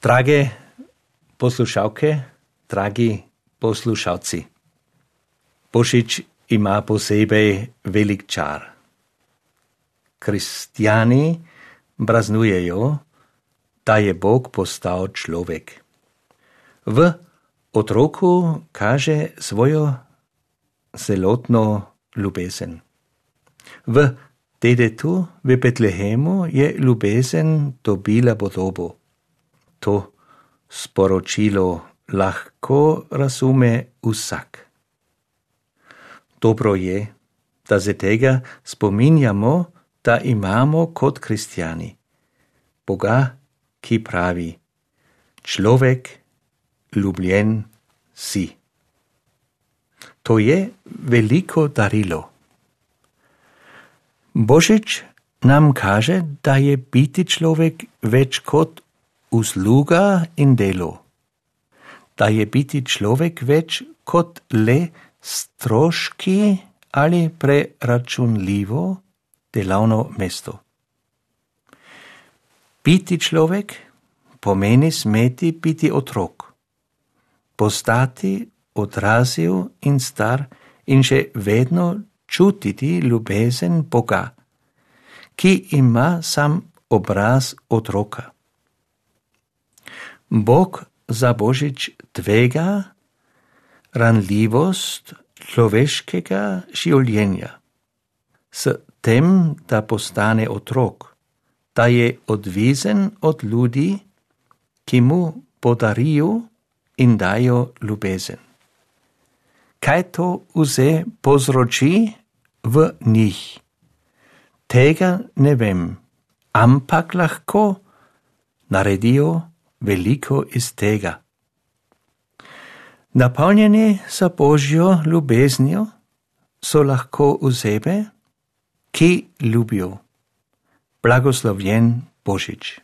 Drage poslušalke, dragi poslušalci, Božič ima posebej velik čar. Kristjani praznujejo, da je Bog postal človek. V otroku kaže svojo celotno ljubezen. V detetu v Betlehemu je ljubezen dobila podobo. To sporočilo lahko razume vsak. Dobro je, da se tega spominjamo, da imamo kot kristjani Boga, ki pravi: človek ljubljen si. To je veliko darilo. Božič nam kaže, da je biti človek več kot usluga in delo. Da je biti človek več kot le stroški ali preračunljivo delovno mesto. Biti človek pomeni smeti biti otrok, postati odrasel in star in še vedno čutiti ljubezen Boga, ki ima sam obraz otroka. Bog za Božič tvega ranljivost človeškega življenja s tem, da postane otrok, da je odvisen od ljudi, ki mu podarijo in dajo ljubezen. Kaj to vse povzroči v njih? Tega ne vem, ampak lahko naredijo veliko iz tega. Napolnjeni s Božjo ljubeznijo so lahko osebe, ki ljubijo. Blagoslovljen Božič.